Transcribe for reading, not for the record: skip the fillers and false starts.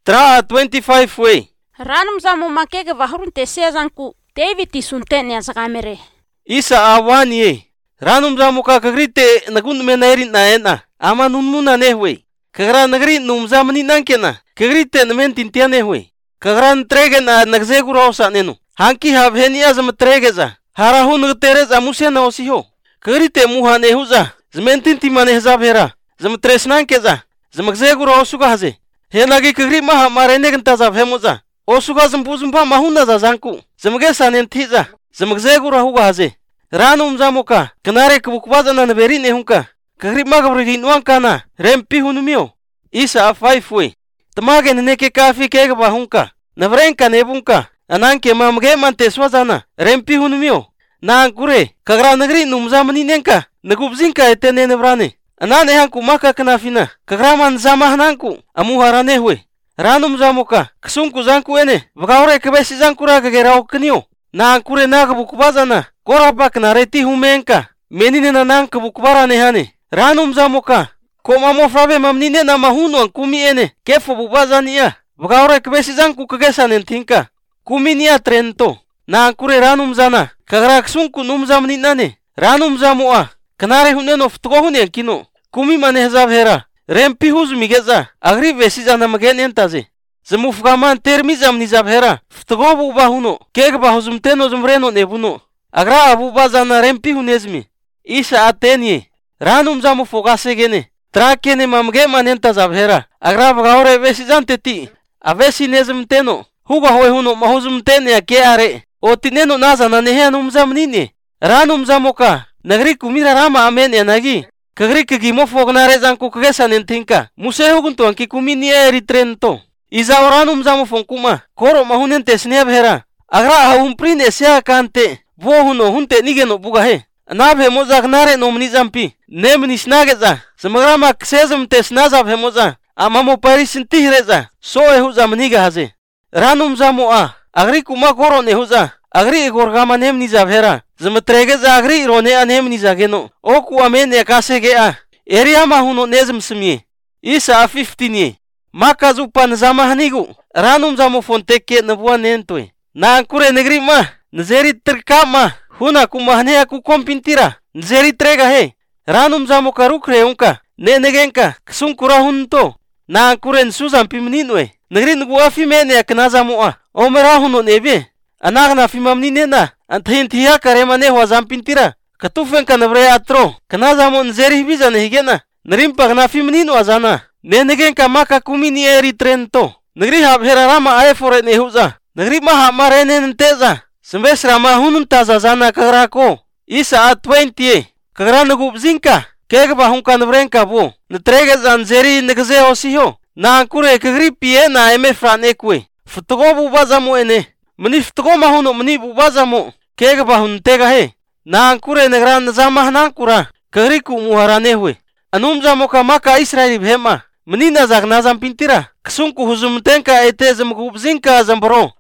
Tra 25 we. Ranum zamu makege vahurun tesezanku David isunten ya zakamere. Isa awani ye. Ranum zamu ka kagrite nagun menairin na ena. Ama nunmuna nehwe. Kagra nagri num zamani nankena. Kagrite namen tintia nehwe. Kagran trege na nagzegura osa nenu. Hanki habheni azam tregeza. Harahu nagterez amusena osiho. Kagrite muha nehuza. Zmentinti manehza bhera. Zam tresnankeza. Zamagzegura osuga haze. Henagi kagri maha mareneganta zabhemuza. Osuga zambuzumpa mahuna za zanku. Zamagesa nentiza. Zamagzegura huga haze. Ranum zamuka. Kanare kubukwaza na naberi nehunka. Kagri magabri nuankana. Rempi hunumio. Isa afaifwe. Tamage neke kafi kega bahunka. Navrenka nebunka. Ananke mamge manteswazana. Rempi hunumio. Nankure. Kagra nagri numzamani nenka. Nagubzinka etene nevrane. Anane hanku maka kanafina. Kagraman zamahananku. Amuharanehwe. Ranum zamuka. Ksunku zanku ene. Vagaure kebesi zankura kagerao kanio. Nankure nagabukubazana. Korabak nareti humenka. Menine nanang kabukbara nehane. Ranum zamuka. Koma mofrabe mamnine na mahuno ang kumi ene. Kefo bubazania. Vagaure kebesi zanku kagesanen tinka. Kumi niya trento. Nankure ranum zana. Kagra ksunku numzamni nane. Ranum zamua. Kanare huneno ftugohune ang kino. Kumi manehza bhera. Rempi huzumigeza. Agri vesi zana magen entaze. Zamufgaman termizam nizabhera. Ftugobu bahuno. Keg bahuzumteno zumreno nebuno. Agra abu bazana rempi hunezmi. Isa atenye. Ranum zamu fogasegene. Trakene mamge manenta zabhera. Agra bagaure vesi zanteti. Avesi nezmteno. Huga hoy huno mahuzumtene ya ke are. Otineno nazana neheanum zamnine. Ranum zamuka. Nagri kumira rama amen yanagi. Kagri kagimo fognare zanku kagesanen tinka. Museho gunto anki kumini eritrento. Iza oranum zamu fonkuma. Koro mahunen tesne bhera. Agra ahumprine esya kante. Bohuno hunte nigeno bugahe. Nabhe moza gnare nomni zampi. Nemnis nageza. Samagrama ksezum tesnaza bhemoza. Amamo parisintihireza. Soe huzamniga haze. Ranum zamu a. Agri kuma koro nehuza. Agri gorgama nemni zabhera. Zamatregeza agri rone anemni zageno. Oku amene akasege a. Eria mahuno nezm smye. Isa a 15 Maka zupan zamahnigu. Ranum zamu fonteke nabuwa nentoy. Nankure negri ma. Nzeri trkama. Huna kumahne aku kompintira. Nzeri trega he. Ranum zamu karukre unka. Ne negenka. Ksunkura hunto. Nankure nsuzam pimninwe. Negri nuguwa fimene aknazamu a. Omera huno nebe. Anagna fimamni nena. Anthintiya karemane wazampintira. Katufen kanabre atro. Kanazamu nzeri bizane higena. Narimpa gnafimnino azana. Nenegen maka kumini eritrento. Negri habhera rama aefore nehuza. Negri maha marene nteza. Sembes rama hunun taza zana kagrako. Isa a 20 kagra nagubzinka. Kegba hunka nabrenka bo. Netrege zanzeri negze osiho. Na ankure kagri pie na emefran ekwe. Futugo bubazamu ene. Mani futugo mahuno mani bubazamu. Kegba huntega he. Na ankure negra nazamah nankura. Kagri ku muharanehwe. Anumza moka maka Israeli bhema. Menina zagnazam pintira. Ksunku huzumtenka ete zamgubzinka zambaro.